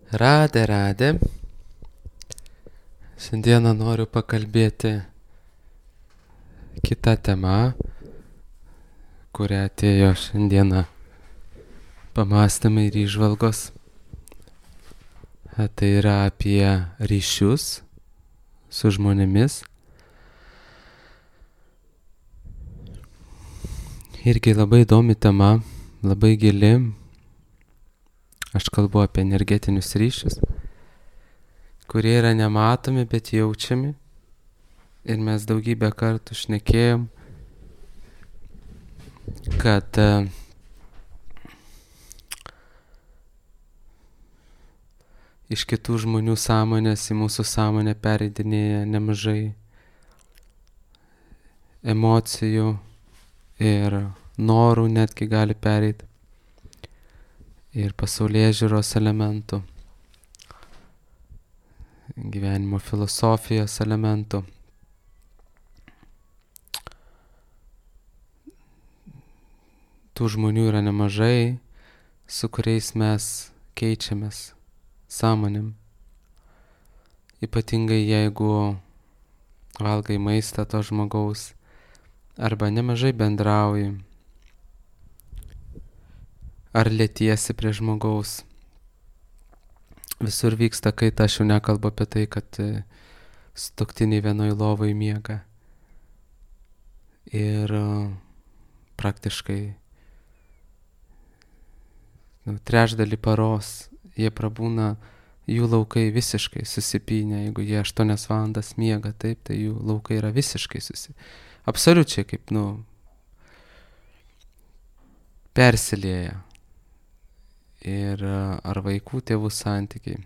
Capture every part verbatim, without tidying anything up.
Radė, radė. Šiandieną noriu pakalbėti kitą temą, kurią atėjo šiandieną pamastymai ir įžvalgos. Tai yra apie ryšius su žmonėmis. Irgi labai įdomi tema, labai gili. Aš kalbu apie energetinius ryšius, kurie yra nematomi, bet jaučiami. Ir mes daugybę kartų šnekėjom, kad uh, iš kitų žmonių sąmonės į mūsų sąmonę pereidinėja nemažai emocijų ir norų netgi gali pereiti. Ir pasaulėžiūros elementų, gyvenimo filosofijos elementų. Tų žmonių yra nemažai, su kuriais mes keičiamės sąmonėm. Ypatingai jeigu valgai maistą to žmogaus arba nemažai bendrauji. Ar lietiesi prie žmogaus. Visur vyksta kaita, aš jau nekalbu apie tai, kad sutuoktiniai vienoj lovoj miega. Ir praktiškai nu, trečdalį paros jie prabūna, jų laukai visiškai susipynę. Jeigu jie aštuonias valandas miega, taip, tai jų laukai yra visiškai susipynę. Absoliučiai kaip, nu, persilieja. Ir ar vaikų tėvų santykiai.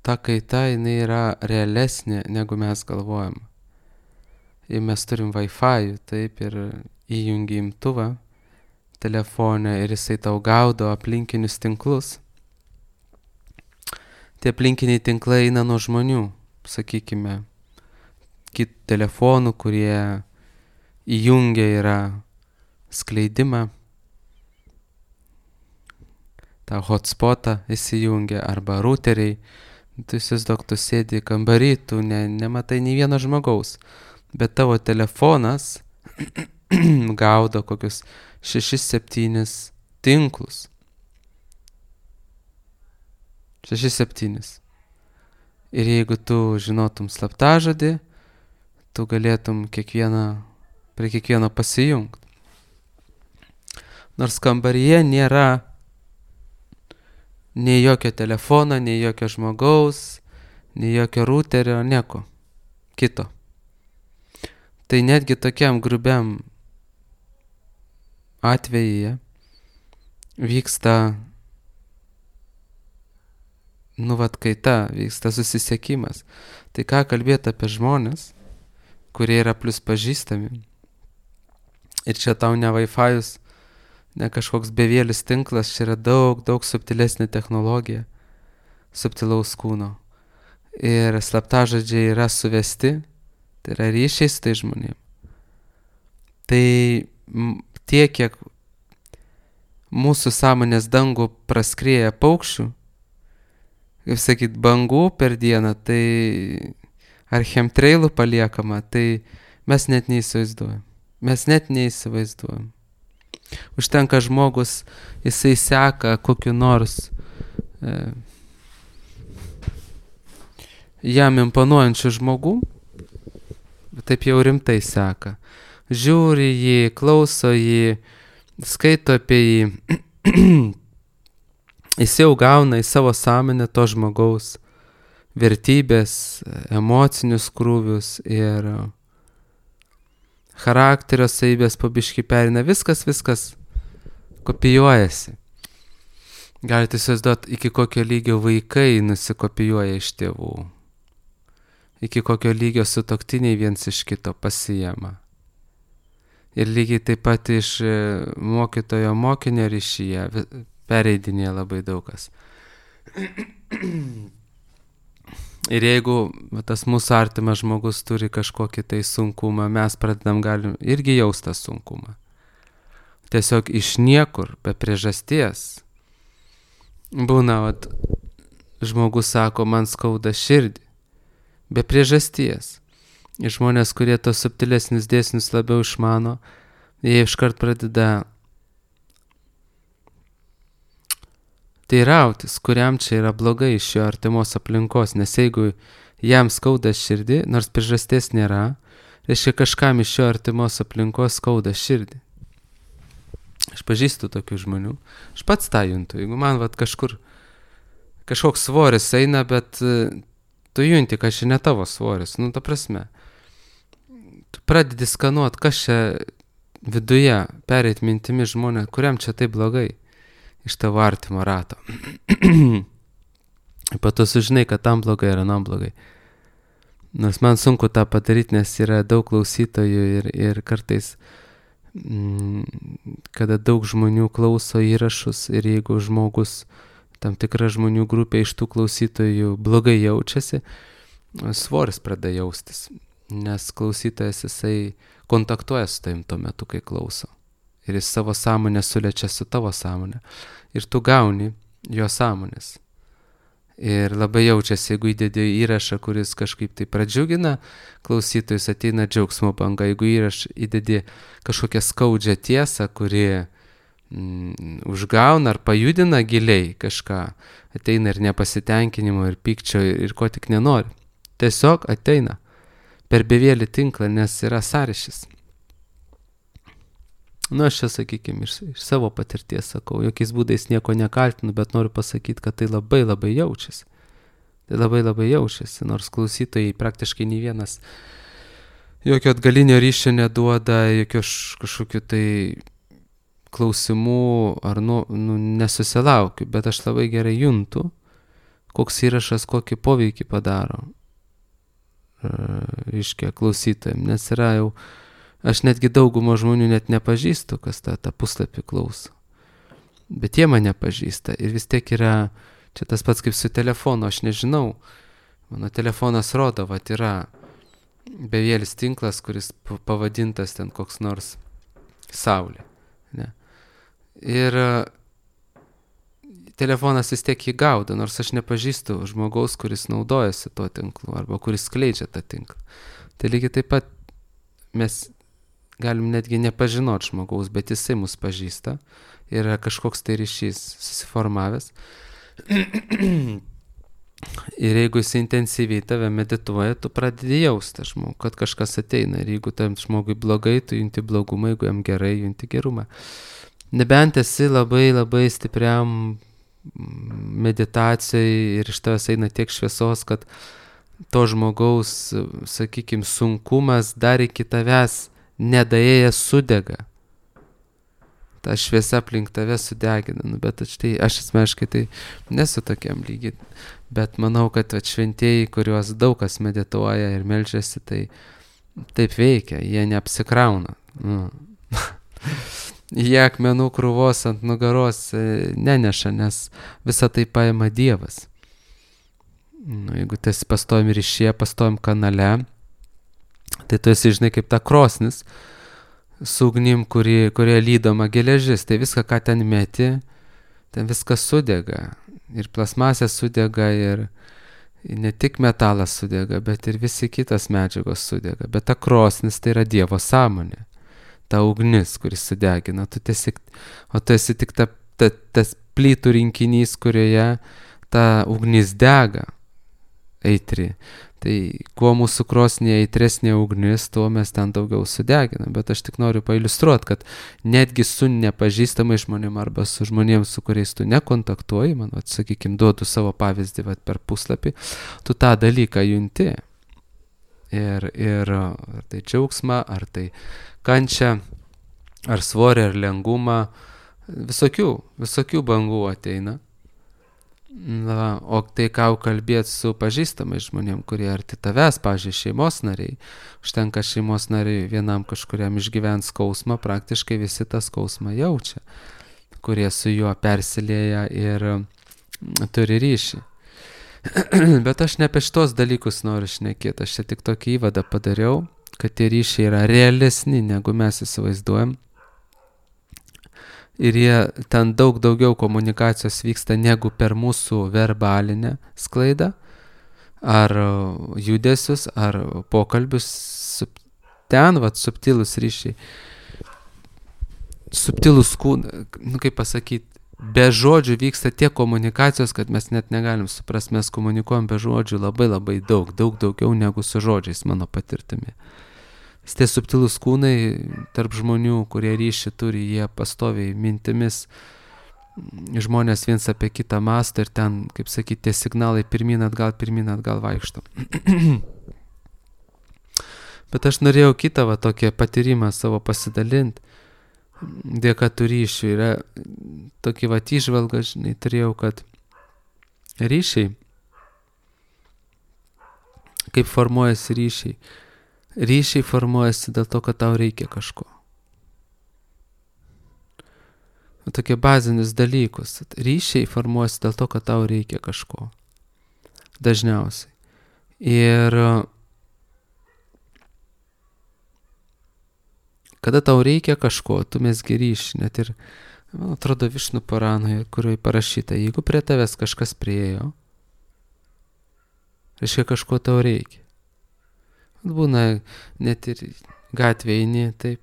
Ta kaita, jinai yra realesnė, negu mes galvojam. Ir mes turim Wi-Fi, taip, ir įjungi imtuvą telefone ir jisai tau gaudo aplinkinius tinklus. Tie aplinkiniai tinklai eina nuo žmonių, sakykime, kit telefonų, kurie įjungia yra skleidimą. tą hotspotą įsijungia, arba routeriai. Tu įsivaizduok, tu sėdi kambarį, tu ne, nematai nei vieno žmogaus, bet tavo telefonas gaudo kokius šešis septynis tinklus. Šešis septynis. Ir jeigu tu žinotum slaptažodį, tu galėtum kiekvieną, prie kiekvieno pasijungti. Nors kambaryje nėra nei jokio telefono, nei jokio žmogaus, nei jokio routerio, nieko kito. Tai netgi tokiam grubiam atvejyje vyksta, nu vat kaita, vyksta susisiekimas. Tai ką kalbėti apie žmonės, kurie yra plus pažįstami. Ir čia tau ne Wi-Fi'us, ne kažkoks bevėlis tinklas, čia yra daug, daug subtilesnė technologija, subtilaus kūno. Ir slaptažodžiai yra suvesti, tai yra ryšiai su tai žmonėm. Tai tiek, kiek mūsų sąmonės dangų praskrieja paukščių, kaip sakyt, bangų per dieną, tai ar chemtrailų paliekama, tai mes net neįsivaizduojam. Mes net neįsivaizduojam. Užtenka žmogus, jisai seka kokiu nors e, jam imponuojančių žmogų, taip jau rimtai seka. Žiūri jį, klauso jį, skaito apie jį. Jis jau gauna į savo sąmonę to žmogaus vertybės, emocinius krūvius ir charakterio savybės po biškį perina. Viskas, viskas kopijuojasi. Galite įsivaizduoti, iki kokio lygio vaikai nusikopijuoja iš tėvų. Iki kokio lygio sutuoktiniai viens iš kito pasijama. Ir lygiai taip pat iš mokytojo mokinio ryšyje pereidinėja labai daugas. Ir jeigu tas mūsų artimas žmogus turi kažkokį tai sunkumą, mes pradedam galim irgi jausti tą sunkumą. Tiesiog iš niekur, be priežasties, būna, vat, žmogus sako, man skauda širdį, be priežasties. Ir žmonės, kurie tos subtilesnius dėsnius labiau išmano, jie iškart pradeda teirautis, kuriam čia yra blogai iš jo artimos aplinkos, nes jeigu jam skauda širdį, nors priežasties nėra, reiškia kažkam iš jo artimos aplinkos skauda širdį. Aš pažįstu tokių žmonių, aš pats tą juntu, jeigu man vat, kažkur kažkoks svoris eina, bet tu junti, kad čia ne tavo svoris, nu ta prasme, tu pradedi skanuot, kas čia viduje pereit mintimi žmonė, kuriam čia taip blogai iš tavo artimo rato. Po to sužinai, kad tam blogai ir anam blogai. Nors man sunku tą padaryti, nes yra daug klausytojų ir, ir kartais, mm, kada daug žmonių klauso įrašus ir jeigu žmogus, tam tikra žmonių grupė iš tų klausytojų blogai jaučiasi, svoris pradeda jaustis, nes klausytojas jisai kontaktuoja su tavim tuo metu, kai klauso. Ir jis savo sąmonę sulečia su tavo sąmonė. Ir tu gauni jo sąmonės. Ir labai jaučiasi, jeigu įdedi įrašą, kuris kažkaip tai pradžiugina, klausytojus ateina džiaugsmo banga. Jeigu įrašą įdedi kažkokią skaudžią tiesą, kuri mm, užgauna ar pajudina giliai kažką, ateina ir nepasitenkinimo, ir pykčio, ir, ir ko tik nenori. Tiesiog ateina per bevėlį tinklą, nes yra sąryšis. Nu, aš čia, sakykime, iš, iš savo patirties sakau, jokiais būdais nieko nekaltinu, bet noriu pasakyti, kad tai labai labai jaučiasi. Tai labai labai jaučiasi, nors klausytojai praktiškai nei vienas jokio atgalinio ryšio neduoda, jokio kažkokių tai klausimų ar nu, nu, nesusilaukiu, bet aš labai gerai juntu, koks įrašas kokį poveikį padaro, reiškia, klausytojams, nes yra jau, aš netgi daugumo žmonių net nepažįstu, kas tą, tą puslapį klauso. Bet jie mane pažįsta ir vis tiek yra, čia tas pats kaip su telefonu, aš nežinau, mano telefonas rodo, vat yra bevėlis tinklas, kuris pavadintas ten koks nors Saulė. Ne? Ir telefonas vis tiek jį gaudo, nors aš nepažįstu žmogaus, kuris naudojasi tuo tinklu arba kuris skleidžia tą tinklą. Tai lygiai taip pat mes galim netgi nepažinot žmogaus, bet jisai mus pažįsta, yra kažkoks tai ryšys susiformavęs. Ir jeigu jis intensyviai tave medituoja, tu pradedi jausti žmogų, kad kažkas ateina. Ir jeigu tam žmogui blogai, tu junti blogumą, jeigu jam gerai, junti gerumą. Nebent esi labai labai stipriam meditacijai ir iš tavęs eina tiek šviesos, kad to žmogaus, sakykime, sunkumas dar iki tavęs nedaėjęs sudega. Ta šviesa aplink tave sudegina. Nu, bet štai, aš asmeniškai tai nesu tokiam lygiai. Bet manau, kad šventieji, kuriuos daug kas medituoja ir meldžiasi, tai taip veikia. Jie neapsikrauna. Nu. Jie akmenų krūvos ant nugaros neneša, nes visą tai paima Dievas. Nu, jeigu tu esi pastovim ryšyje, pastovim kanale, tai tu esi, žinai, kaip ta krosnis su ugnim, kuri, kurie lydoma geležis. Tai viską, ką ten meti, ten viskas sudega. Ir plasmasė sudega, ir ne tik metalas sudega, bet ir visi kitas medžiagos sudega. Bet ta krosnis tai yra Dievo sąmonė. Ta ugnis, kuris sudegina. Tu tiesi, o tu esi tik ta, ta, tas plytų rinkinys, kurioje ta ugnis dega eitri. Tai kuo mūsų krosnėje eitresnė ugnis, tuo mes ten daugiau sudeginam. Bet aš tik noriu pailiustruoti, kad netgi su nepažįstamai žmonėm arba su žmonėms, su kuriais tu nekontaktuoji, man, vat, sakykime, duodu savo pavyzdį vat, per puslapį, tu tą dalyką junti. Ir, ir ar tai džiaugsmą, ar tai kančią, ar svorį, ar lengumą, visokių, visokių bangų ateina. Na, o tai ką kalbėti su pažįstamai žmonėm, kurie arti tavęs, pavyzdžiui, šeimos nariai, užtenka šeimos nariai vienam kažkuriam išgyvent skausmą, praktiškai visi tą skausmą jaučia, kurie su juo persilieja ir turi ryšį. Bet aš ne apie šitos dalykus noriu šnekėti, aš čia tik tokį įvadą padariau, kad tie ryšiai yra realesni, negu mes įsivaizduojam. ir jie ten daug daugiau komunikacijos vyksta negu per mūsų verbalinę sklaidą, ar judesius, ar pokalbius. Ten, vat, subtilus ryšiai, subtilus kūnai, nu kaip pasakyti, be žodžių vyksta tiek komunikacijos, kad mes net negalim suprasti, mes komunikuojam be žodžių labai labai daug, daug daugiau negu su žodžiais, mano patirtimi. Tie subtilus kūnai tarp žmonių, kurie ryšį turi, jie pastoviai mintimis, žmonės viens apie kitą mąsto ir ten, kaip sakyti, tie signalai pirmin atgal, pirmin atgal vaikšto. Bet aš norėjau kitą va tokį patyrimą savo pasidalinti. Dėka tų ryšių yra tokį va įžvalgą, žinai, turėjau, kad ryšiai, kaip formuojasi ryšiai, ryšiai formuojasi dėl to, kad tau reikia kažko. Tokie bazinius dalykus. Ryšiai formuojasi dėl to, kad tau reikia kažko. Dažniausiai. Ir kada tau reikia kažko, tu mesgi ryšį, net ir, man atrodo, Višnu Puranoje, kurioje parašyta, jeigu prie tavęs kažkas priejo, reiškia kažko tau reikia. Būna net ir gatvėje eini, taip,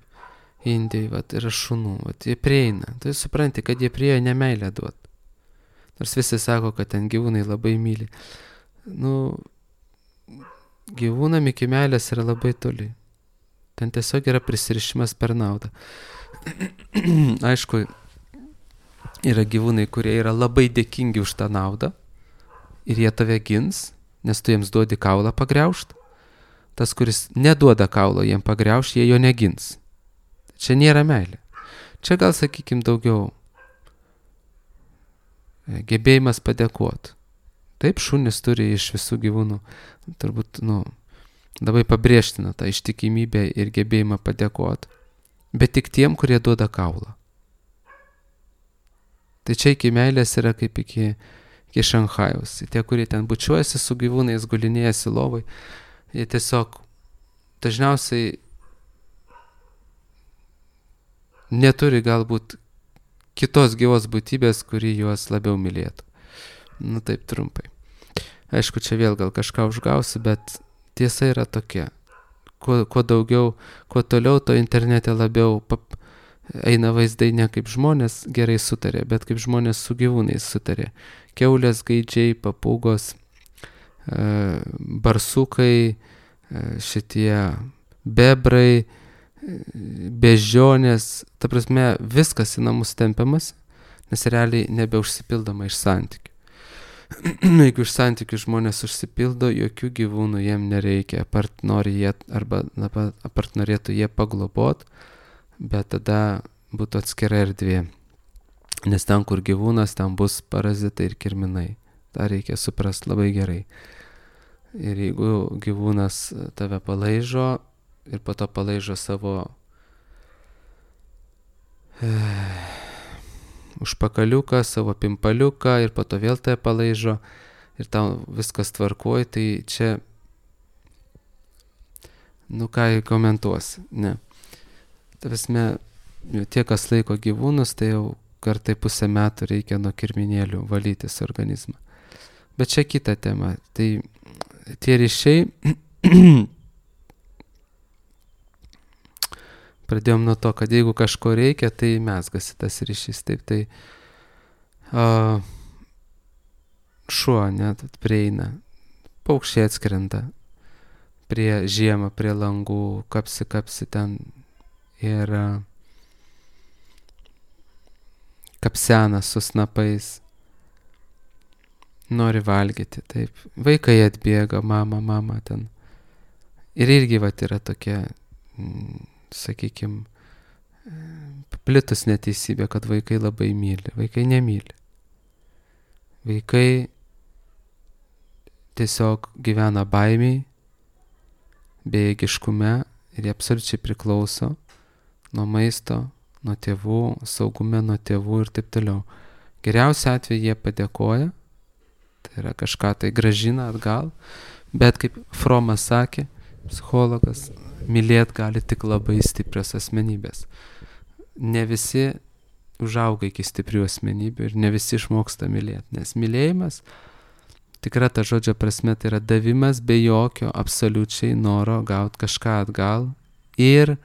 Indijai, vat, yra šunų, vat, jie prieina, tai supranti, kad jie priejo ne meilę duot. Nors visi sako, kad ten gyvūnai labai myli. Nu, gyvūnam iki meilės yra labai toli. Ten tiesiog yra prisirišimas per naudą. Aišku, yra gyvūnai, kurie yra labai dėkingi už tą naudą ir jie tave gins, nes tu jiems duodi kaulą pagriaužt. Tas, kuris neduoda kaulo jiem pagriaužt, jie jo negins. Čia nėra meilė. Čia gal, sakykim, daugiau gebėjimas padėkoti. Taip, šunys turi iš visų gyvūnų, turbūt, nu, labai pabrėžtina tą ištikimybę ir gebėjimą padėkoti, bet tik tiem, kurie duoda kaulą. Tai čia iki meilės yra kaip iki, iki Šanchajaus. Tie, kurie ten bučiuojasi su gyvūnais, gulinėjasi lovai, jie tiesiog dažniausiai neturi galbūt kitos gyvos būtybės, kuri juos labiau mylėtų. Nu taip trumpai. Aišku, čia vėl gal kažką užgausiu, bet tiesa yra tokia. Kuo, kuo daugiau, kuo toliau, to internete labiau pap, eina vaizdai ne kaip žmonės gerai sutarė, bet kaip žmonės su gyvūnais sutarė. Kiaulės, gaidžiai, papūgos, e, barsukai, e, šitie bebrai, bežionės, ta prasme, viskas į namus tempiamas, nes realiai nebeužsipildoma iš santykių. Jeigu iš santykių žmonės užsipildo, jokių gyvūnų jiem nereikia, apart, nori jie, arba apart norėtų jie paglobot, bet tada būtų atskira erdvė. Nes ten, kur gyvūnas, ten bus parazitai ir kirminai. tą reikia suprast labai gerai. Ir jeigu gyvūnas tave palaižo ir po to palaižo savo e, užpakaliuką, savo pimpaliuką ir po to vėl tave palaižo ir tau viskas tvarkoj, tai čia, nu ką komentuosi, ne. Ta prasme, tie, kas laiko gyvūnus, tai jau kartai pusę metų reikia nuo kirminėlių valytis organizmą. Bet čia kita tema. Tai tie ryšiai, pradėjom nuo to, kad jeigu kažko reikia, tai mezgasi tas ryšys. Taip, tai a, šuo net prieina, paukščiai atskrenda prie žiemą, prie langų, kapsi, kapsi ten ir a, kapsena su snapais, nori valgyti, taip. Vaikai atbėga, mama, mama ten. Ir irgi vat yra tokia, mm, sakykime, paplitus neteisybė, kad vaikai labai myli. Vaikai nemyli. Vaikai tiesiog gyvena baimiai, bejėgiškume ir jie absoliučiai priklauso nuo maisto, nuo tėvų, saugume nuo tėvų ir taip toliau. Geriausia atveju jie padėkoja, tai yra kažką tai grąžina atgal, bet kaip Fromas sakė, psichologas, mylėt gali tik labai stiprios asmenybės. Ne visi užauga iki stiprių asmenybių ir ne visi išmoksta mylėti. Nes mylėjimas, tikra ta žodžio prasme, tai yra davimas be jokio absoliučiai noro gauti kažką atgal ir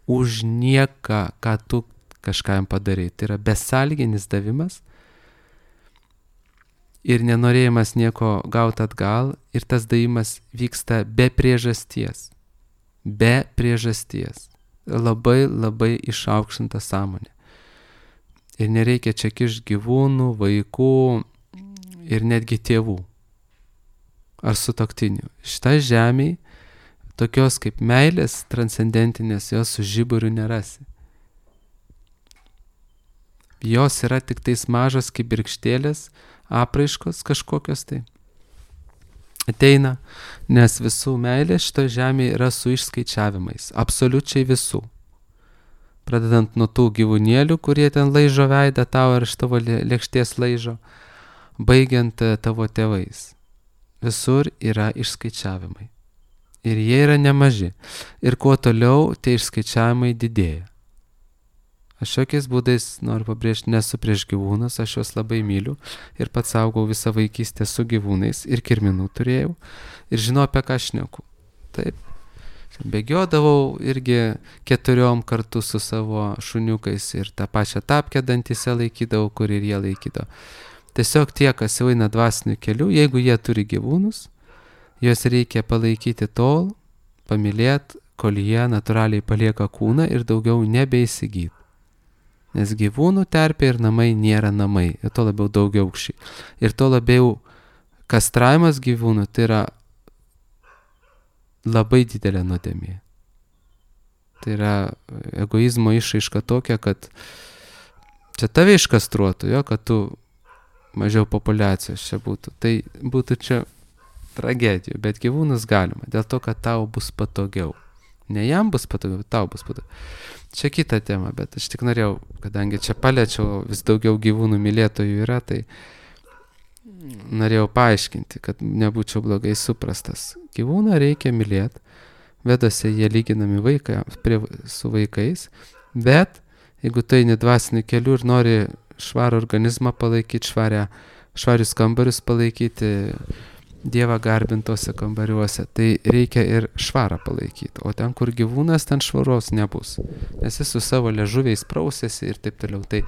už nieką, ką tu kažkam padarai. Tai yra besąlyginis davimas ir nenorėjimas nieko gauti atgal, ir tas davimas vyksta be priežasties. Be priežasties. Labai labai išaukštinta sąmonė. Ir nereikia čia kišti gyvūnų, vaikų ir netgi tėvų ar sutuoktinių. Šitą žemėje tokios kaip meilės transcendentinės jos su žiburiu nerasi. Jos yra tik tais mažos kibirkštėlės, apraiškos kažkokios tai. Ateina, nes visų meilė šito žemėje yra su išskaičiavimais. Absoliučiai visų. Pradedant nuo tų gyvūnėlių, kurie ten laižo veidą tau ar iš tavo lėkštės laižo, baigiant tavo tėvais. Visur yra išskaičiavimai. Ir jie yra nemaži. Ir kuo toliau, tie išskaičiavimai didėja. Aš jokiais būdais noriu pabrėžti, nesu prieš gyvūnus, aš juos labai myliu ir pats augau visą vaikystę su gyvūnais ir kirminų turėjau ir žinau, apie ką šneku. Taip. Bėgiodavau irgi keturiom kartu su savo šuniukais ir tą pačią tapkę dantyse laikydavau, kur ir jie laikydavo. Tiesiog tie, kas jau eina dvasiniu keliu, jeigu jie turi gyvūnus, juos reikia palaikyti tol, pamylėti, kol jie natūraliai palieka kūną ir daugiau nebeįsigyti. Nes gyvūnų terpė ir namai nėra namai, ir to labiau daugiaaukščiai. Ir to labiau kastravimas gyvūnų tai yra labai didelė nuodėmė. Tai yra egoizmo išraiška tokia, kad čia tave iškastruotų, jo, kad tu mažiau populiacijos čia būtų. Tai būtų čia tragedijų, bet gyvūnus galima, dėl to, kad tau bus patogiau. Ne jam bus patogiau, bet tau bus patogiau. Čia kita tema, bet aš tik norėjau, kadangi čia paliečiau, vis daugiau gyvūnų mylėtojų yra, tai norėjau paaiškinti, kad nebūčiau blogai suprastas. Gyvūną reikia mylėti, vedose jie lyginami vaikai, prie, su vaikais, bet jeigu tu eini dvasiniu keliu ir nori švarų organizmą palaikyti, švarę, švarius kambarius palaikyti, Dievą garbintose kambariuose, tai reikia ir švarą palaikyti. O ten, kur gyvūnas, ten švaros nebus. Nes jis su savo liežuviais prausėsi ir taip toliau. Tai,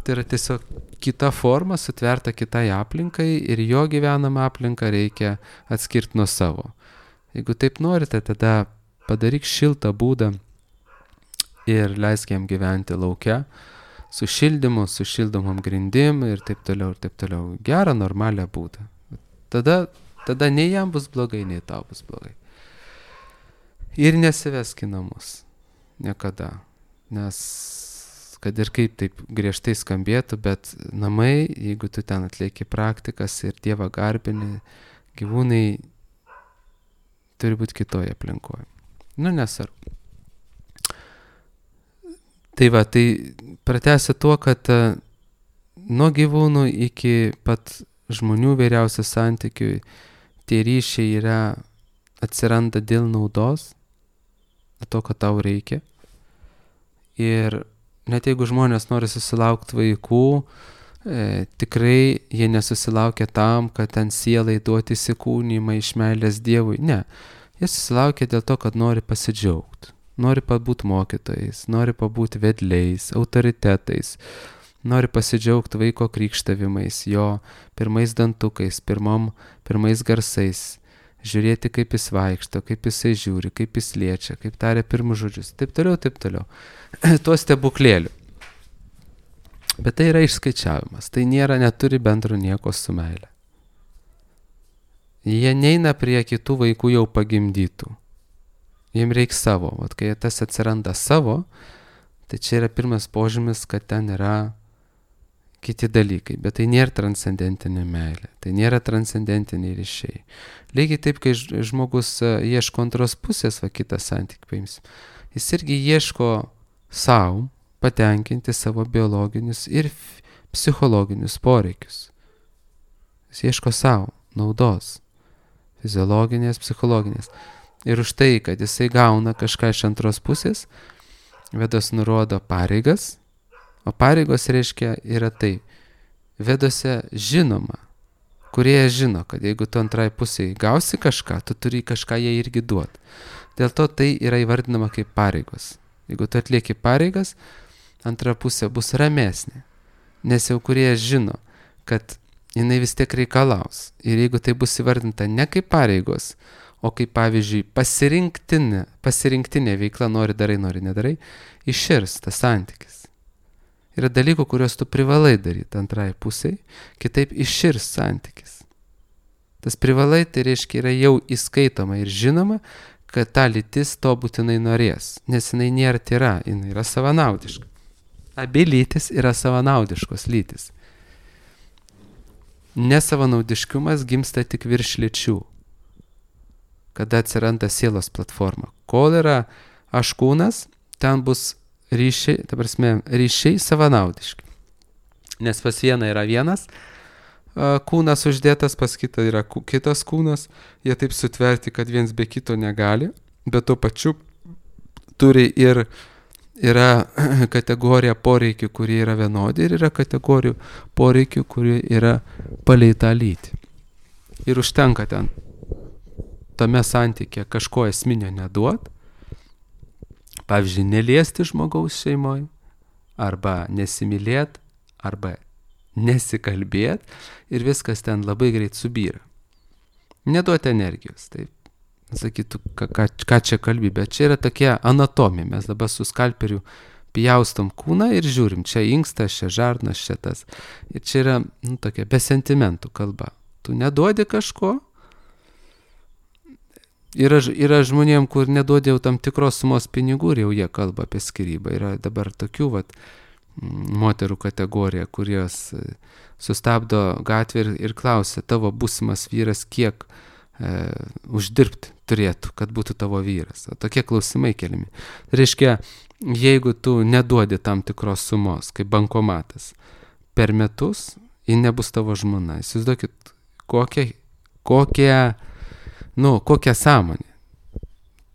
tai yra tiesiog kita forma, sutverta kitai aplinkai ir jo gyvenamą aplinką reikia atskirti nuo savo. Jeigu taip norite, tada padaryk šiltą būdą ir leisk jam gyventi lauke, su šildymu, su šildomom grindim ir taip toliau, ir taip toliau. Gerą, normalią būdą. Tada Tada nei jam bus blogai, nei tau bus blogai. Ir nesivesk į namus. Niekada. Nes, kad ir kaip taip griežtai skambėtų, bet namai, jeigu tu ten atlieki praktikas ir Dievą garbini, gyvūnai turi būti kitoje aplinkoje. Nu, nesvarbu. Tai va, tai pratęsiu tuo, kad nuo gyvūnų iki pat žmonių vyriausių santykių tie ryšiai yra, atsiranda dėl naudos, to, kad tau reikia. Ir net jeigu žmonės nori susilaukti vaikų, e, tikrai jie nesusilaukia tam, kad ten sielai duoti įsikūnymą iš meilės Dievui. Ne, jie susilaukia dėl to, kad nori pasidžiaugti, nori pabūti mokytojais, nori pabūti vedliais, autoritetais, nori pasidžiaugti vaiko krikštavimais, jo pirmais dantukais, pirmom, pirmais garsais, žiūrėti, kaip jis vaikšto, kaip jisai žiūri, kaip jis liečia, kaip taria pirmus žodžius, taip toliau, taip toliau. Tuo stebuklėliu. Bet tai yra išskaičiavimas, tai nėra, neturi bendro nieko su meile. Jie neina prie kitų vaikų jau pagimdytų. Jiems reikia savo, o kai tas atsiranda savo, tai čia yra pirmas požymis, kad ten yra kiti dalykai, bet tai nėra transcendentinė meilė, tai nėra transcendentiniai ryšiai. Lygiai taip, kai žmogus ieško antros pusės, va kitą santykį paimsim, jis irgi ieško savo patenkinti savo biologinius ir psichologinius poreikius. Jis ieško savo naudos, fiziologinės, psichologinės. Ir už tai, kad jisai gauna kažką iš antros pusės, Vedos nurodo pareigas, O pareigos reiškia yra tai. Vedose žinoma, kurie žino, kad jeigu tu antrai pusėje gausi kažką, tu turi kažką jai irgi duoti. Dėl to tai yra įvardinama kaip pareigos. Jeigu tu atlieki pareigas, antra pusė bus ramesnė. Nes jau kurie žino, kad jinai vis tiek reikalaus. Ir jeigu tai bus įvardinta ne kaip pareigos, o kaip pavyzdžiui pasirinktinė, pasirinktinė veikla, nori darai, nori nedarai, iširs tas santykis. Yra dalykų, kuriuos tu privalai daryti antrai pusiai, kitaip iširs santykis. Tas privalai, tai reiškia, yra jau įskaitoma ir žinoma, kad ta lytis to būtinai norės, nes jinai nėra tyra, jinai yra savanaudiška. Abi lytis yra savanaudiškos lytis. Nesavanaudiškumas gimsta tik virš lyčių, kada atsiranda sielos platforma. Kol yra aš kūnas, ten bus ryšiai, ta prasme, ryšiai savanaudiški. Nes pas vieną yra vienas kūnas uždėtas, pas kitą yra kitas kūnas, jie taip sutverti, kad viens be kito negali, bet tuo pačiu turi ir yra kategorija poreikių, kurie yra vienodi, ir yra kategorijų poreikių, kurie yra palei tą lytį. Ir užtenka ten tame santykė kažko esminio neduot, pavyzdžiui, neliesti žmogaus šeimoje, arba nesimylėt, arba nesikalbėt, ir viskas ten labai greit subyra. Neduoti energijos, taip. Sakytų, ką, ką, ką čia kalbi, bet čia yra tokia anatomija. Mes dabar su skalperiu pjaustom kūną ir žiūrim, čia inkstas, čia žarnas, čia tas. Ir čia yra, nu, tokia be sentimentų kalba. Tu neduodi kažko. Yra, yra žmonėm, kur neduodi jau tam tikros sumos pinigų ir jau jie kalba apie skyrybą. Yra dabar tokių, vat, moterų kategorija, kurios sustabdo gatvę ir, ir klausia, tavo būsimas vyras kiek e, uždirbti turėtų, kad būtų tavo vyras. O tokie klausimai keliami. Reiškia, jeigu tu neduodi tam tikros sumos, kaip bankomatas, per metus, ji nebus tavo žmona. Įsivaizduokit, kokia, kokia, nu, kokia sąmonė.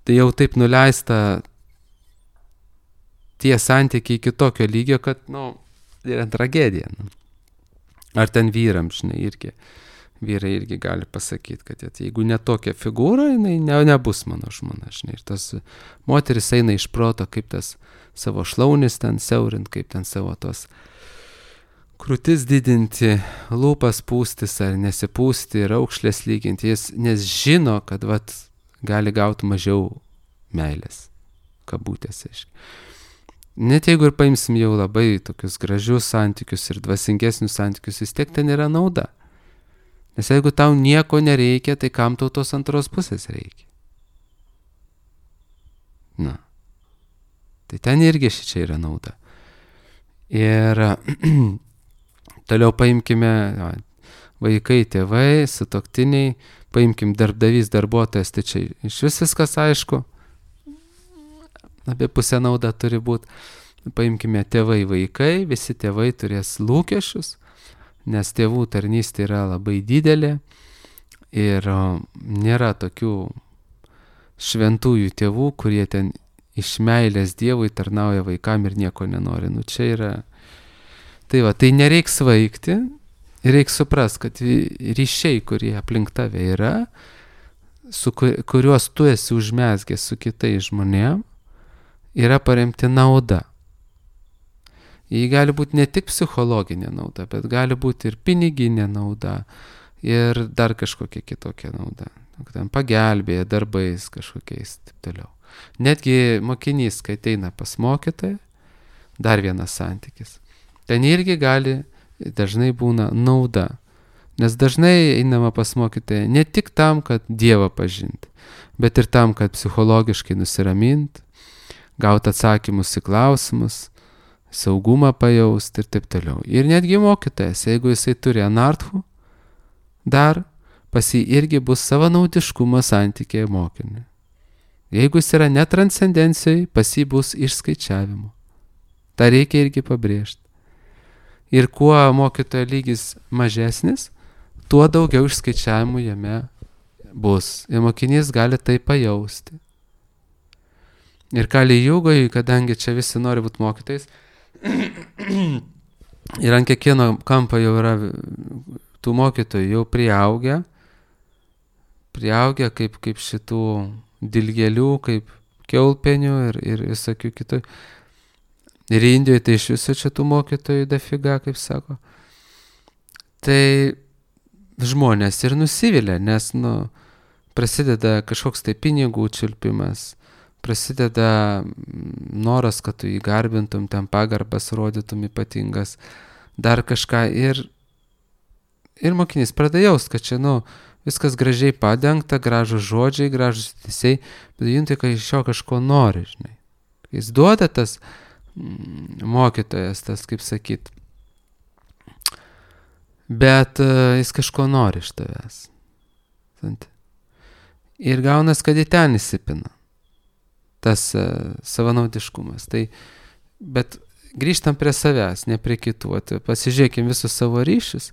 Tai jau taip nuleista tie santykiai iki tokio lygio, kad, nu, yra tragedija. Nu. Ar ten vyram, žinai, irgi, vyrai irgi gali pasakyti, kad jeigu ne tokia figūra, jinai ne, nebus mano žmona, žinai. Ir tas moteris eina iš proto, kaip tas savo šlaunis ten siaurint, kaip ten savo tos krūtis didinti, lūpas pūstis ar nesipūsti, raukšlės lyginti, jis, nes žino, kad vat, gali gauti mažiau meilės, kabutėse. Net jeigu ir paimsim jau labai tokius gražius santykius ir dvasingesnius santykius, vis tiek ten yra nauda. Nes jeigu tau nieko nereikia, tai kam tau tos antros pusės reikia? Na. Tai ten irgi šičia yra nauda. Ir toliau paimkime vaikai, tėvai, sutuoktiniai, paimkim darbdavys, darbuotojas, tai čia iš vis viskas aišku. Apie pusę nauda turi būti. Paimkime tėvai, vaikai, visi tėvai turės lūkesčius, nes tėvų tarnystė yra labai didelė ir nėra tokių šventųjų tėvų, kurie ten iš meilės Dievui tarnauja vaikam ir nieko nenori. Nu čia yra. Tai va, tai nereiks svaigti, reiks suprast, kad ryšiai, kurie aplink tave yra, su kuriuos tu esi užmezgęs su kitais žmonėm, yra paremti nauda. Jį gali būti ne tik psichologinė nauda, bet gali būti ir piniginė nauda, ir dar kažkokia kitokia nauda. Ten pagelbėja darbais kažkokiais, taip toliau. Netgi mokinys, kai ateina pas mokytoją, dar vienas santykis. Ten irgi gali, dažnai būna nauda. Nes dažnai einama pas mokytoją ne tik tam, kad Dievą pažinti, bet ir tam, kad psichologiškai nusiraminti, gauti atsakymus į klausimus, saugumą pajausti ir taip toliau. Ir netgi mokytojas, jeigu jisai turi anarthų, dar pas jį irgi bus savanaudiškumo santykiai mokiniui. Jeigu jis yra netranscendencijai, pas jį bus išskaičiavimo. Ta reikia irgi pabrėžti. Ir kuo mokytojo lygis mažesnis, tuo daugiau išskaičiavimų jame bus. Ir mokinys gali tai pajausti. Ir Kali Jugoje, kadangi čia visi nori būti mokytojais, Ir ant kiekvieno kampo jau yra tų mokytojų jau priaugę, priaugę kaip, kaip šitų dilgėlių, kaip kiaulpienių ir, ir visokių kitų. Ir Indijoje tai iš viso čia tų mokytojų dafiga, kaip sako. Tai žmonės ir nusivilia, nes, nu, prasideda kažkoks tai pinigų čiulpimas, prasideda noras, kad tu jį garbintum, ten pagarbas rodytum ypatingas, dar kažką ir, ir mokinys pradeda jaust, kad čia, nu, viskas gražiai padengta, gražus žodžiai, gražus teisiai, bet juntai, kad iš jo kažko nori, žinai. Jis duoda tas mm, mokytojas, tas, kaip sakyt, bet uh, jis kažko nori iš tavęs. Ir gaunas, kad į ten įsipina tas uh, savanaudiškumas. Tai, bet grįžtam prie savęs, ne prie kitų. Pasižiūrėkim visus savo ryšius.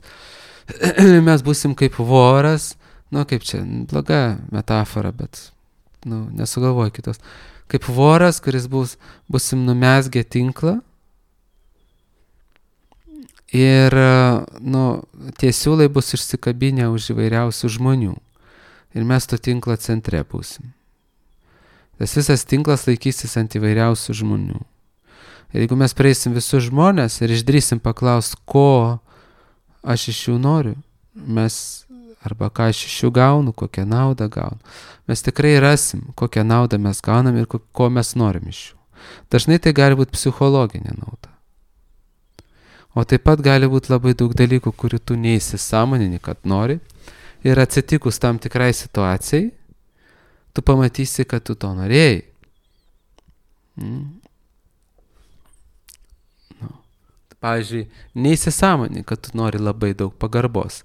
Mes būsim kaip voras, nu kaip čia, bloga metafora, bet nu, nesugalvoju kitos. Kaip voras, kuris bus, būsim numesgę tinklą ir nu, tie siūlai bus išsikabinę už įvairiausių žmonių. Ir mes to tinklo centre būsim. Tas visas tinklas laikysis ant įvairiausių žmonių. Ir jeigu mes prieisim visus žmonės ir išdrysim paklaust, ko aš iš jų noriu, mes, arba ką aš iš jų gaunu, kokią naudą gaunu, mes tikrai rasim, kokią naudą mes gaunam ir ko, ko mes norim iš jų. Dažnai tai gali būti psichologinė nauda. O taip pat gali būti labai daug dalykų, kurių tu neįsisąmonini, kad nori. Ir atsitikus tam tikrai situacijai, tu pamatysi, kad tu to norėjai. Mm. No. Pavyzdžiui, neįsisąmonini, kad tu nori labai daug pagarbos.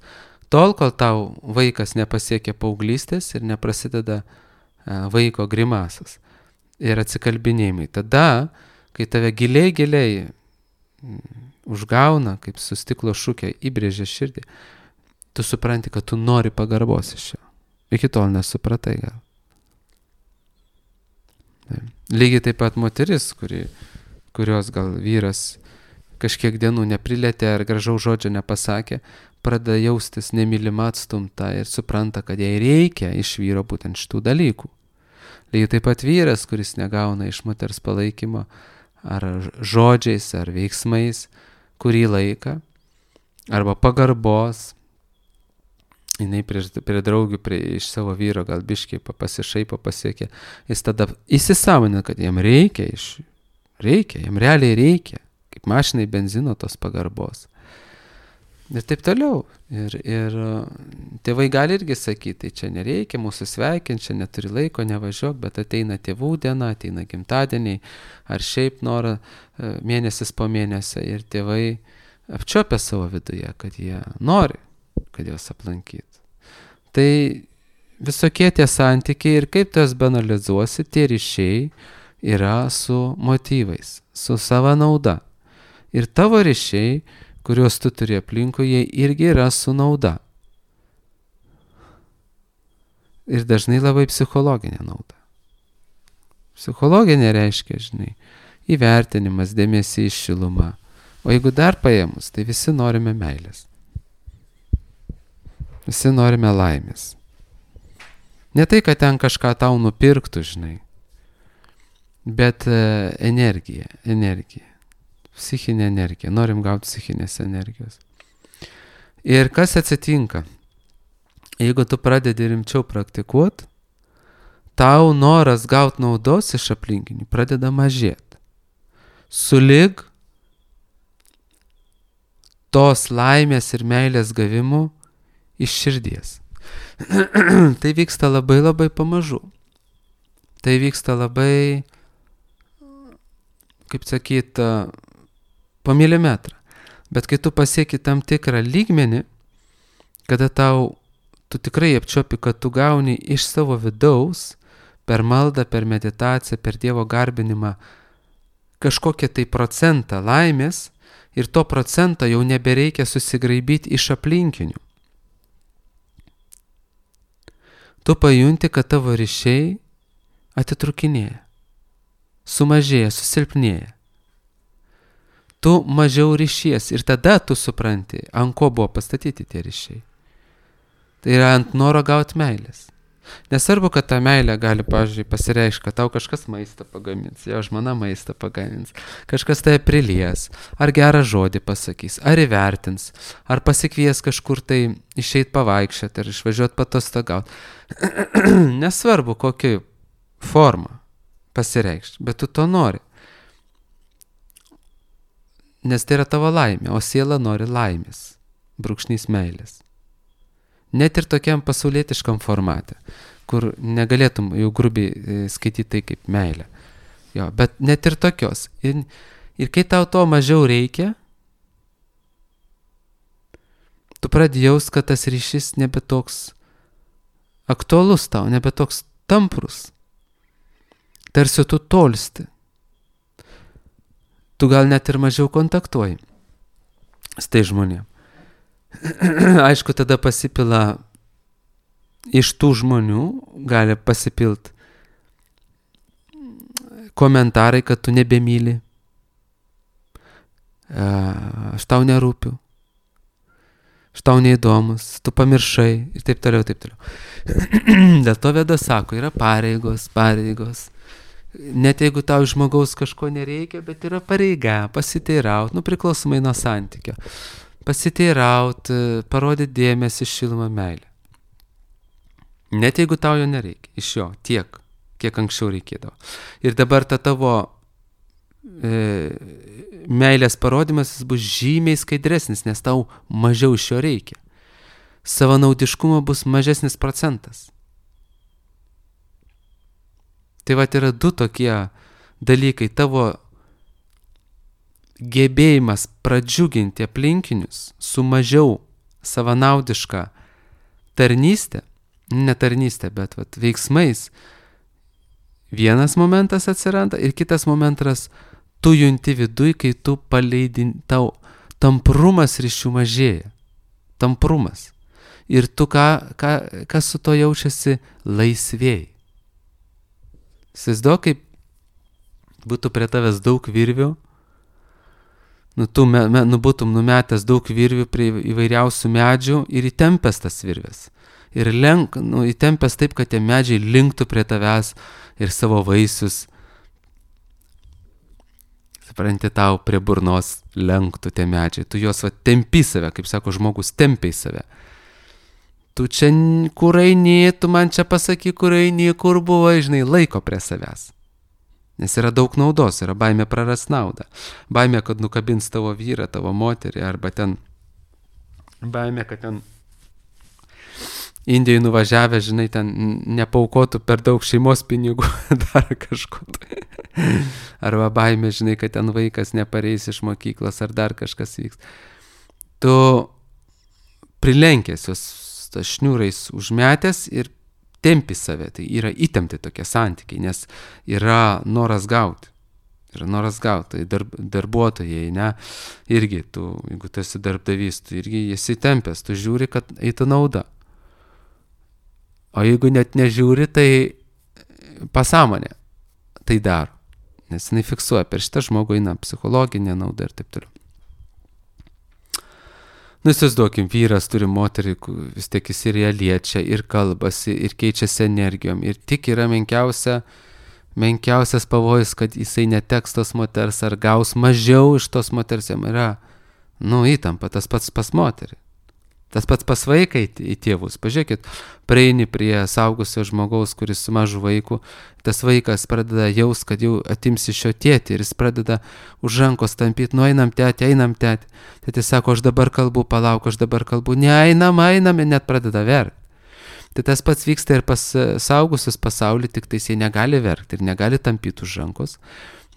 Tol, kol tau vaikas nepasiekia paauglystės ir neprasideda uh, vaiko grimasas ir atsikalbinėjimai. Tada, kai tave giliai, giliai mm, užgauna, kaip su stiklo šukė įbrėžia širdį, tu supranti, kad tu nori pagarbos iš jo. Iki tol nesupratai gal. Lygiai taip pat moteris, kuri, kurios gal vyras kažkiek dienų neprilėtė ar gražaus žodžio nepasakė, pradeda jaustis nemylima, atstumta ir supranta, kad jai reikia iš vyro būtent šitų dalykų. Lygiai taip pat vyras, kuris negauna iš moters palaikymo ar žodžiais, ar veiksmais kurį laiką, arba pagarbos, jinai prie, prie draugių, prie, iš savo vyro gal biškiai pasišaipo pasiekė, jis tada įsisąmonina, kad jam reikia, iš, reikia, jam realiai reikia, kaip mašinai benzino tos pagarbos. Ir taip toliau. Ir, ir tėvai gali irgi sakyti, tai čia nereikia, mūsų sveikinti, čia neturi laiko, nevažiuok, bet ateina tėvų diena, ateina gimtadieniai, ar šiaip norą mėnesis po mėnesio ir tėvai apčiopia savo viduje, kad jie nori, kad juos aplankytų. Tai visokie tie santykiai ir kaip tu jas banalizuosi, tie ryšiai yra su motyvais, su sava nauda. Ir tavo ryšiai, kuriuos tu turi aplinkui, jie irgi yra su nauda. Ir dažnai labai psichologinė nauda. Psichologinė reiškia, žinai, įvertinimas, dėmesys, šiluma. O jeigu dar paėmus, tai visi norime meilės. Visi norime laimės. Ne tai, kad ten kažką tau nupirktų, žinai, bet e, energija, energija. Psichinė energija. Norim gauti psichinės energijos. Ir kas atsitinka? Jeigu tu pradedi rimčiau praktikuoti, tau noras gauti naudos iš aplinkinių pradeda mažėti. Sulig tos laimės ir meilės gavimu iš širdies. Tai vyksta labai labai pamažu. Tai vyksta labai, kaip sakyt, po milimetrą. Bet kai tu pasieki tam tikrą lygmenį, kada tau, tu tikrai apčiopi, kad tu gauni iš savo vidaus, per maldą, per meditaciją, per Dievo garbinimą, kažkokią tai procentą laimės, ir to procento jau nebereikia susigraibyti iš aplinkinių. Tu pajunti, kad tavo ryšiai atitrukinėja, sumažėja, susilpnėja. tu mažiau ryšies ir tada tu supranti, ant ko buvo pastatyti tie ryšiai. Tai yra ant noro gauti meilės. Nesvarbu, kad ta meilė gali, pavyzdžiui, pasireikšti, kad tau kažkas maistą pagamins, jo žmona maistą pagamins, kažkas tai prilies, ar gerą žodį pasakys, ar įvertins, ar pasikvies kažkur tai išeit pavaikščioti, ar išvažiuoti patostogauti. Nesvarbu, kokia forma pasireikšti, bet tu to nori. Nes tai yra tavo laimė, o siela nori laimės, brūkšnys meilės. Net ir tokiam pasaulietiškam formate, kur negalėtum jau grubiai skaityti tai kaip meilę. Jo, bet net ir tokios. Ir, ir kai tau to mažiau reikia, tu pradedi jaust, kad tas ryšys nebe toks aktualus tau, nebe toks tamprus. Tarsi tu tolsti. Tu gal net ir mažiau kontaktuoji su tai žmonėm. Aišku, tada pasipila iš tų žmonių, gali pasipilt komentarai, kad tu nebemyli, aš tau nerūpiu, aš tau neįdomus, tu pamiršai ir taip toliau, taip toliau. Dėl to Veda sako, yra pareigos, pareigos. Net jeigu tau žmogaus kažko nereikia, bet yra pareiga pasiteiraut, nu priklausomai nuo santykio. Pasiteiraut, parodyti dėmesį, šilumą, meilę. Net jeigu tau jo nereikia, iš jo tiek, kiek anksčiau reikėdavo. Ir dabar ta tavo e, meilės parodimas jis bus žymiai skaidresnis, nes tau mažiau iš jo reikia. Savanaudiškumo bus mažesnis procentas. Tai vat yra du tokie dalykai, tavo gebėjimas pradžiuginti aplinkinius su mažiau savanaudiška tarnystė, ne tarnystė, bet vat, veiksmais, vienas momentas atsiranda ir kitas momentas tu junti viduj, kai tu paleidin, tau tamprumas ryšių mažėja. Tamprumas. Ir tu ką, ką, kas su to jaučiasi laisvėjai. Įsivaizduok, kaip būtų prie tavęs daug virvių, nu, tu me, me, nu, būtum numetęs daug virvių prie įvairiausių medžių ir įtempęs tas virvės. Ir lenk, nu, įtempęs taip, kad tie medžiai linktų prie tavęs ir savo vaisius, supranti, tau prie burnos lenktų tie medžiai. Tu juos va tempi save, kaip sako žmogus, tempi save. Tu čia kur eini, tu man čia pasaky, kur eini, kur buvo, žinai, laiko prie savęs. Nes yra daug naudos, yra baimė praras naudą. Baimė, kad nukabins tavo vyrą, tavo moterį, arba ten baimė, kad ten Indijai nuvažiavę, žinai, ten nepaukotų per daug šeimos pinigų, dar kažko. Arba baimė, žinai, kad ten vaikas nepareis iš mokyklos, ar dar kažkas vyks. Tu prilenkęs jos šniūrais užmetęs ir tempi save, tai yra įtempti tokie santykiai, nes yra noras gauti. Yra noras gauti, tai darb, darbuotojai, ne, irgi tu, jeigu tu esi darbdavys, tu irgi esi tempęs, tu žiūri, kad eitų nauda. O jeigu net nežiūri, tai pasąmonė tai daro, nes jinai fiksuoja, per šitą žmogų eina psichologinė nauda ir taip toliau. Nu, įsivaizduokim, vyras turi moterį, vis tiek jis ir ją liečia, ir kalbasi, ir keičiasi energijom. Ir tik yra menkiausia, menkiausias pavojus, kad jisai neteks tos moters, ar gaus mažiau iš tos moters, jam yra, nu, įtampa, tas pats pas moterį. Tas pats pas vaiką į tėvus. Pažiūrėkit, praeini prie saugusio žmogaus, kuris su mažu vaiku, tas vaikas pradeda jaus, kad jau atims iš jo tėtį ir jis pradeda už rankos tampyti, nu einam tėtį, einam tėtį. Tėtį sako, aš dabar kalbu, palauk, aš dabar kalbu, ne, einam, einam ir net pradeda verkti. Tai tas pats vyksta ir pas saugusius pasaulį, tik tai jie negali verkti ir negali tampyti už rankos,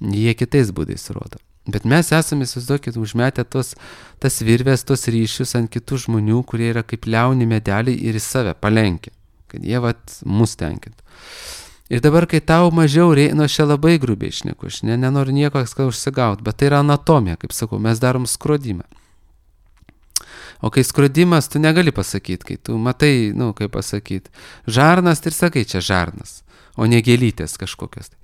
jie kitais būdais rodo. Bet mes esame, įsivaizduokit, užmetę tos, tas virvės, tos ryšius ant kitų žmonių, kurie yra kaip liauni medeliai ir į save palenkia, kad jie vat mus tenkintų. Ir dabar, kai tau mažiau reikia, nu aš čia labai grubiai šneku, aš ne, nenoriu nieko užsigauti, bet tai yra anatomija, kaip sakau, mes darom skrodimą. O kai skrodimas, tu negali pasakyti, kai tu matai, nu, kaip pasakyti, žarnas, tai ir sakai, čia žarnas, o ne gėlytės kažkokios.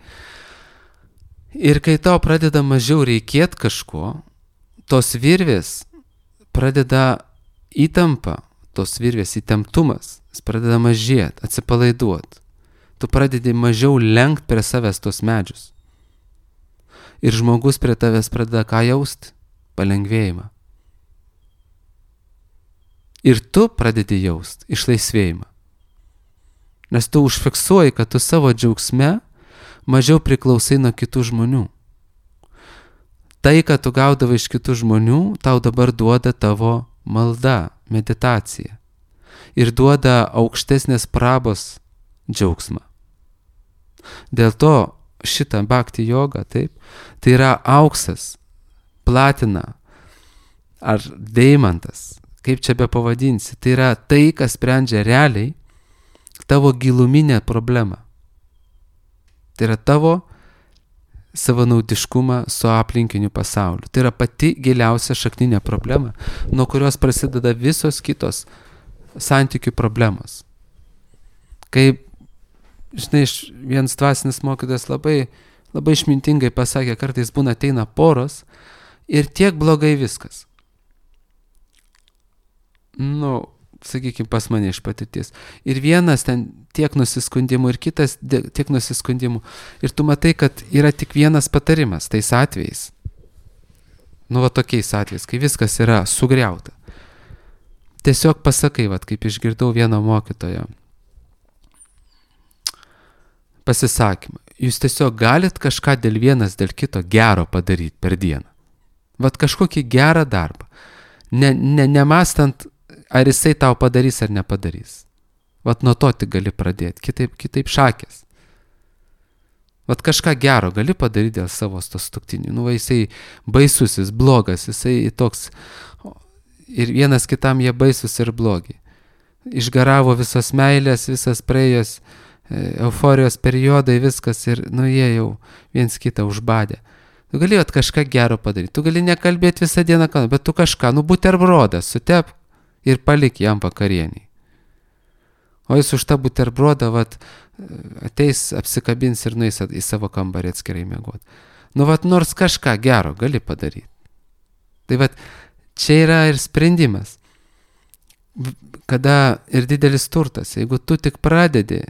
Ir kai tau pradeda mažiau reikėti kažko, tos virvės pradeda įtampa, tos virvės įtemptumas, jis pradeda mažėti, atsipalaiduoti. Tu pradedi mažiau lenkt prie savęs tos medžius. Ir žmogus prie tavęs pradeda ką jausti? Palengvėjimą. Ir tu pradedi jausti išlaisvėjimą. Nes tu užfiksuoji, kad tu savo džiaugsme mažiau priklausai nuo kitų žmonių. Tai, ką tu gaudavai iš kitų žmonių, tau dabar duoda tavo malda, meditacija. Ir duoda aukštesnės prabos džiaugsmą. Dėl to šitą bhakti jogą, taip, tai yra auksas, platina ar deimantas, kaip čia be pavadinsi, tai yra tai, kas sprendžia realiai tavo giluminę problemą. Tai yra tavo savanaudiškumą su aplinkiniu pasauliu. Tai yra pati giliausia šakninė problema, nuo kurios prasideda visos kitos santykių problemos. Kaip, žinai, vienas dvasinis mokytojas labai, labai išmintingai pasakė, kartais būna ateina poros ir tiek blogai viskas. Nu, sakykime, pas mane iš patirties. Ir vienas ten tiek nusiskundimų, ir kitas tiek nusiskundimų. Ir tu matai, kad yra tik vienas patarimas tais atvejais. Nu, va tokiais atvejais, kai viskas yra sugriauta. Tiesiog pasakai, va, kaip išgirdau vieno mokytojo pasisakymą. Jūs tiesiog galit kažką dėl vienas dėl kito gero padaryti per dieną. Vat kažkokį gerą darbą. Ne, ne, nemastant, ar jisai tau padarys ar nepadarys. Vat nuo to tik gali pradėti, kitaip, kitaip šakės. Vat kažką gero gali padaryti dėl savo sutuoktinių. Nu, va, jisai baisus, jis blogas, jisai toks, ir vienas kitam jie baisus ir blogi. Išgaravo visas meilės, visas praėjos euforijos periodai, viskas, ir nu jie jau viens kitą užbadė. Tu gali vat kažką gero padaryti, tu gali nekalbėti visą dieną, bet tu kažką, nu buterbrodą sutep ir palik jam vakarienį. O jis už tą buterbrodą vat, ateis, apsikabins ir nueis į savo kambarį atskirai miegoti. Nu vat nors kažką gero gali padaryti. Tai vat čia yra ir sprendimas. Kada ir didelis turtas, jeigu tu tik pradedi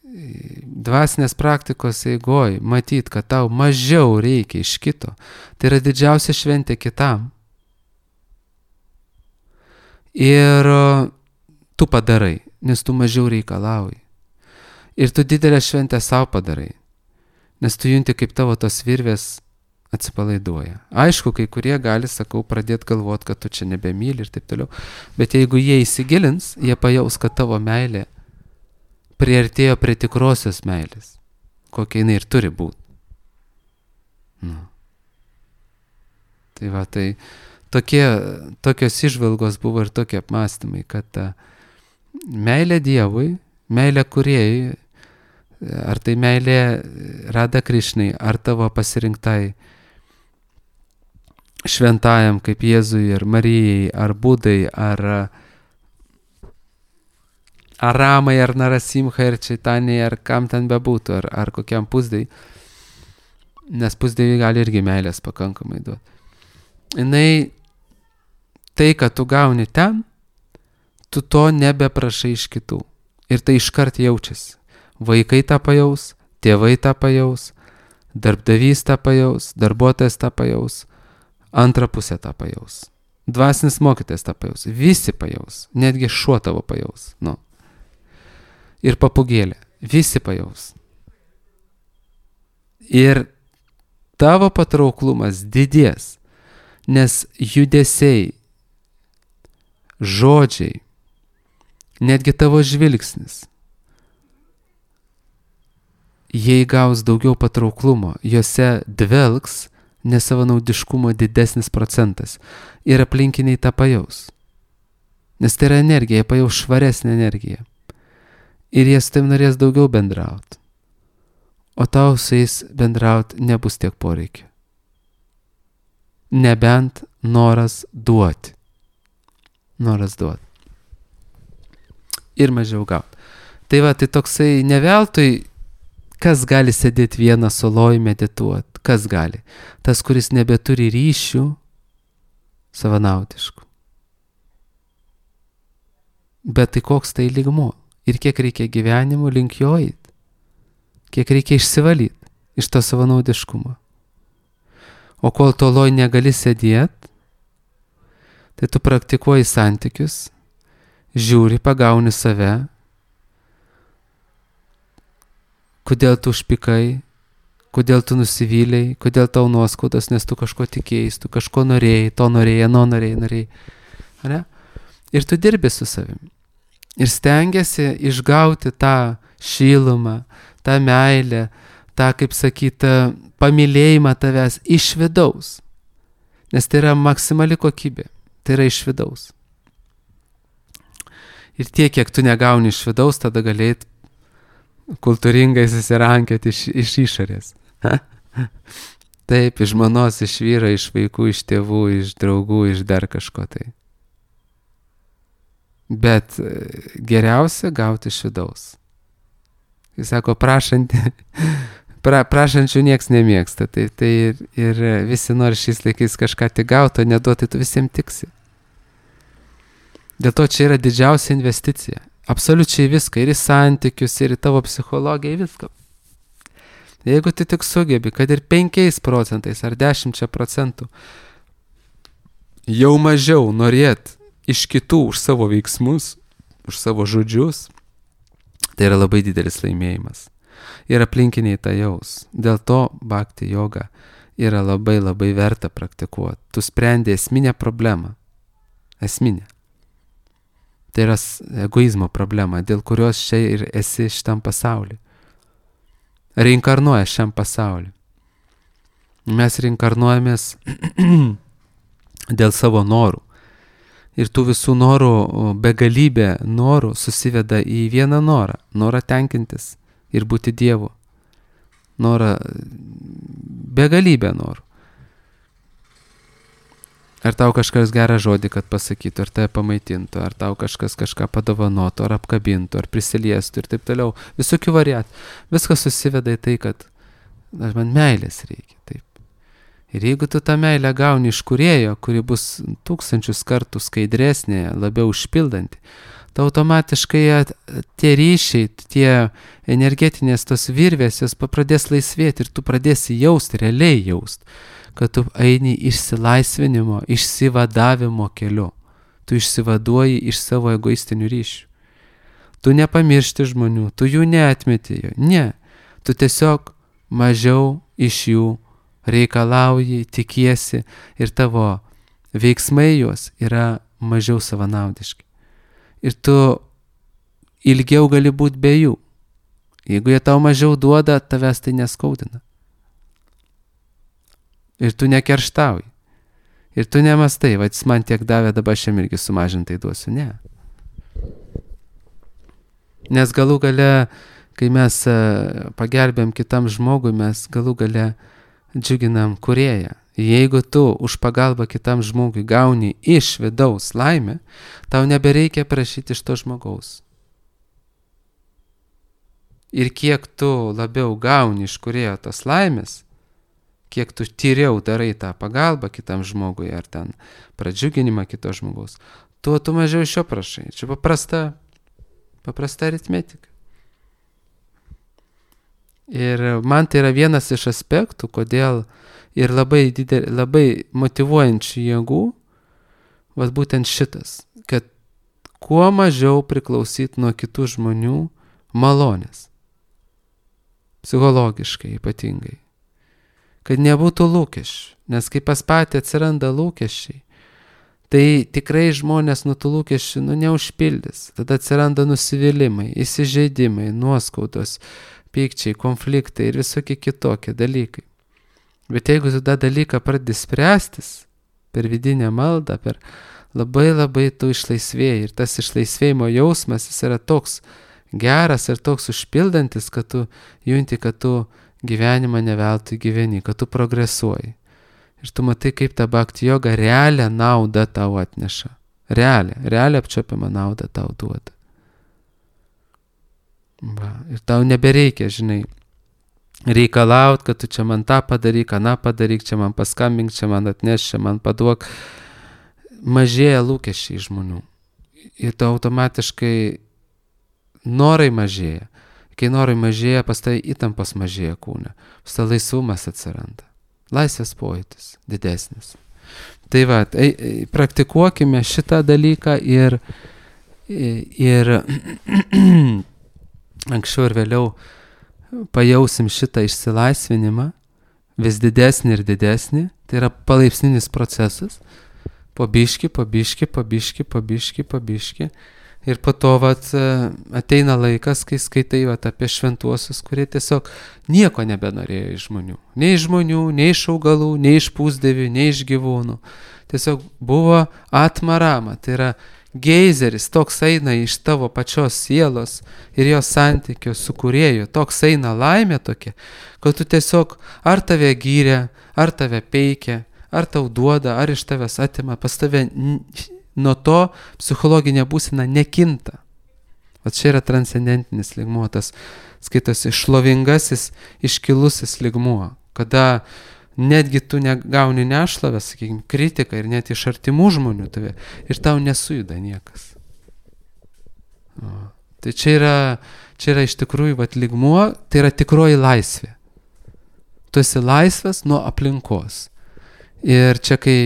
dvasinės praktikos eigoj matyt, kad tau mažiau reikia iš kito, tai yra didžiausia šventė kitam. Ir tu padarai, nes tu mažiau reikalauji. Ir tu didelę šventę savo padarai, nes tu junti, kaip tavo tos virvės atsipalaiduoja. Aišku, kai kurie gali, sakau, pradėti galvoti, kad tu čia nebemyli ir taip toliau, bet jeigu jie įsigilins, jie pajaus, kad tavo meilė priartėjo prie tikrosios meilės, kokia jinai ir turi būti. Nu. Tai va, tai tokie, tokios išvalgos buvo ir tokie apmąstymai, kad ta meilė Dievui, meilė Kūrėjui, ar tai meilė Radha Krišnai, ar tavo pasirinktai šventajam kaip Jėzui ir Marijai, ar Budai, ar ar Ramai, ar Narasimhai, ar Čaitanijai, ar kam ten bebūtų, ar, ar kokiam pusdai, nes pusdai gali irgi meilės pakankamai duoti. Jinai, tai, kad tu gauni ten, tu to nebeprašai iš kitų. Ir tai iškart jaučiasi. Vaikai tą pajaus, tėvai tą pajaus, darbdavys tą pajaus, darbuotojas tą pajaus, antra pusė tą pajaus. Dvasinis mokytojas tą pajaus. Visi pajaus. Netgi šuo tavo pajaus. Nu. Ir papugėlė. Visi pajaus. Ir tavo patrauklumas didės, nes judesiai, žodžiai, netgi tavo žvilgsnis, jie įgaus daugiau patrauklumo, juose dvelks nesavanaudiškumo didesnis procentas ir aplinkiniai tą pajaus. Nes tai yra energija, jie pajaus švaresnę energiją. Ir jie su tavim norės daugiau bendrauti. O tau su jais bendrauti nebus tiek poreikio. Nebent noras duoti. Noras duoti. Ir mažiau gauti. Tai va, tai toksai neveltui, kas gali sėdėti vieną soloj medituoti, kas gali. Tas, kuris nebeturi ryšių savanaudišku. Bet tai koks tai lygmuo ir kiek reikia gyvenimo link jo eit, kiek reikia išsivalyti iš to savanaudiškumo. O kol toloj negali sėdėt, tai tu praktikuoji santykius, žiūri, pagauni save, kodėl tu užpikai, kodėl tu nusivylei, kodėl tau nuoskaudos, nes tu kažko tikėjai, tu kažko norėjai, to norėjai, ano norėjai, norėjai. Ane? Ir tu dirbi su savimi. Ir stengiasi išgauti tą šilumą, tą meilę, tą, kaip sakyta, pamylėjimą tavęs iš vidaus. Nes tai yra maksimali kokybė. Tai yra iš vidaus. Ir tiek, kiek tu negauni iš vidaus, tada galėt kultūringai susirankėti iš, iš išorės. Taip, iš žmonos, iš vyro, iš vaikų, iš tėvų, iš draugų, iš dar kažko tai. Bet geriausia gauti iš vidaus. Jis sako, prašantį, pra, prašančių nieks nemėgsta. Tai, tai ir, ir visi nori šiais laikais kažką tik gauti, o neduoti, tu visiems tiksi. Dėl to čia yra didžiausia investicija. Absoliučiai viską, ir į santykius, ir į tavo psichologiją, į viską. Jeigu tu tik sugebi, kad ir penkiais procentais ar dešimčia procentų jau mažiau norėt iš kitų už savo veiksmus, už savo žodžius, tai yra labai didelis laimėjimas. Ir aplinkiniai tą jaus. Dėl to bhakti joga yra labai labai verta praktikuoti. Tu sprendi esminę problemą. Esminę. Tai yra egoizmo problema, dėl kurios čia ir esi šitam pasauliu. Reinkarnuoja šiam pasauliu. Mes reinkarnuojamės dėl savo norų. Ir tų visų norų, begalybė norų susiveda į vieną norą. Norą tenkintis ir būti Dievu. Norą, begalybė norų. Ar tau kažkas gerą žodį, kad pasakytų, ar tave pamaitintų, ar tau kažkas kažką padovanotų, ar apkabintų, ar prisiliestų ir taip toliau. Visokių variatų. Viskas susiveda į tai, kad man meilės reikia. Taip. Ir jeigu tu tą meilę gauni iš kūrėjo, kuri bus tūkstančius kartų skaidresnė, labiau užpildanti, tai automatiškai tie ryšiai, tie energetinės tos virvės, jos pradės laisvėti ir tu pradėsi jausti, realiai jausti, kad tu eini išsilaisvinimo, išsivadavimo keliu. Tu išsivaduoji iš savo egoistinių ryšių. Tu nepamiršti žmonių, tu jų neatmeti. Ne, tu tiesiog mažiau iš jų reikalauji, tikiesi ir tavo veiksmai juos yra mažiau savanaudiški. Ir tu ilgiau gali būti be jų. Jeigu jie tau mažiau duoda, tavęs tai neskaudina. Ir tu nekerštauji. Ir tu nemastai, va, jis man tiek davė, dabar šiam irgi sumažintai duosiu. Ne. Nes galų gale, kai mes pagelbėm kitam žmogui, mes galų gale džiuginam kūrėją. Jeigu tu už pagalbą kitam žmogui gauni iš vidaus laimę, tau nebereikia prašyti iš to žmogaus. Ir kiek tu labiau gauni iš kūrėjo tos laimės, kiek tu tyriau darai tą pagalbą kitam žmogui ar ten pradžiuginimą kito žmogaus, tuo tu mažiau iš jo prašai. Čia paprasta, paprasta aritmetika. Ir man tai yra vienas iš aspektų, kodėl ir labai, didel, labai motyvuojančių jėgų, vat būtent šitas, kad kuo mažiau priklausyt nuo kitų žmonių malonės. Psichologiškai ypatingai. Kad nebūtų lūkesčių, nes kai pas patį atsiranda lūkesčiai, tai tikrai žmonės nuo tų lūkesčių nu, neužpildys. Tada atsiranda nusivylimai, įsižeidimai, nuoskaudos, pykčiai, konfliktai ir visokie kitokie dalykai. Bet jeigu tu tą dalyką pradedi spręstis per vidinę maldą, per labai labai tu išlaisvėjai ir tas išlaisvėjimo jausmas jis yra toks geras ir toks užpildantis, kad tu junti, kad tu gyvenimą neveltui gyveni, kad tu progresuoji. Ir tu matai, kaip ta bhakti joga realią naudą tau atneša. Realią, realią apčiuopiamą naudą tau duoda. Va. Ir tau nebereikia, žinai, reikalaut, kad tu čia man tą padaryk, aną padaryk, čia man paskambink, čia man atneš, čia man paduok. mažėja lūkesčiai žmonių. Ir to automatiškai norai mažėja. Kai norai mažėja, pas tai įtampos mažėja kūne. Pas tai laisvumas atsiranda. Laisvės pojūtis didesnis. Tai va, tai, praktikuokime šitą dalyką ir, ir anksčiau ir vėliau pajausim šitą išsilaisvinimą, vis didesnį ir didesnį. Tai yra palaipsninis procesas. Po biški, po biški, po biški, po biški, po biški. Ir po to vat, ateina laikas, kai skaitai vat, apie šventuosius, kurie tiesiog nieko nebenorėjo iš žmonių. Nei iš žmonių, nei iš augalų, nei iš pusdievių, nei iš gyvūnų. Tiesiog buvo atmarama. Tai yra geizeris, toks eina iš tavo pačios sielos ir jos santykio su kūrėju. Toks eina laimė tokia, kad tu tiesiog ar tave gyrė, ar tave peikia, ar tau duoda, ar iš tavęs atima, pas tave nuo to psichologinė būsena nekinta. O čia yra transcendentinis lygmuo, tas skaitosi šlovingasis, iškilusis lygmuo, kada netgi tu negauni nešlavę, sakykime, kritiką ir net iš artimų žmonių tave ir tau nesujuda niekas. O, tai čia yra, čia yra iš tikrųjų vat, lygmuo, tai yra tikroji laisvė. Tu esi laisvas nuo aplinkos. Ir čia kai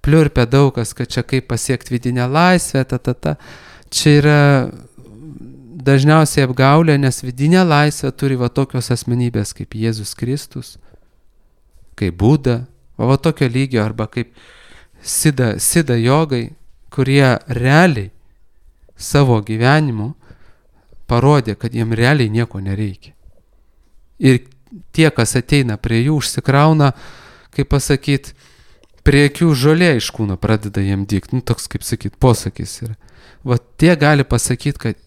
pliurpia daugas, kad čia kaip pasiekti vidinę laisvę, ta, ta, ta, čia yra dažniausiai apgaulė, nes vidinė laisvė turi va tokios asmenybės kaip Jėzus Kristus, kaip Buda, va, va tokio lygio, arba kaip Sida, Sida jogai, kurie realiai savo gyvenimu parodė, kad jiem realiai nieko nereikia. Ir tie, kas ateina prie jų, užsikrauna, kaip pasakyt, prie akių žolė iš kūno pradeda jiem dygt. Nu, toks, kaip sakyt, posakis yra. Va tie gali pasakyti, kad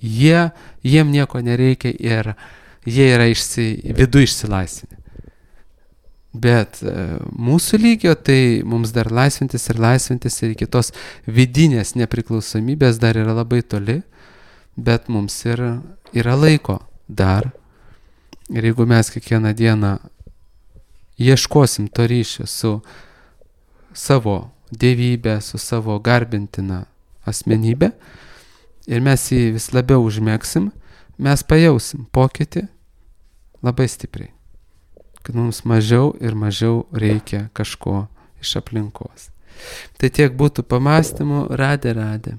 jie, jiem nieko nereikia ir jie yra išsi, vidu išsilaisvinę. Bet e, mūsų lygio, tai mums dar laisvintis ir laisvintis ir iki tos vidinės nepriklausomybės dar yra labai toli, bet mums ir, yra laiko dar. Ir jeigu mes kiekvieną dieną ieškosim to ryšio su savo dievybė, su savo garbintina asmenybė ir mes jį vis labiau užmėgsim, mes pajausim pokytį labai stipriai, kad mums mažiau ir mažiau reikia kažko iš aplinkos. Tai tiek būtų pamastymų, radė, radė.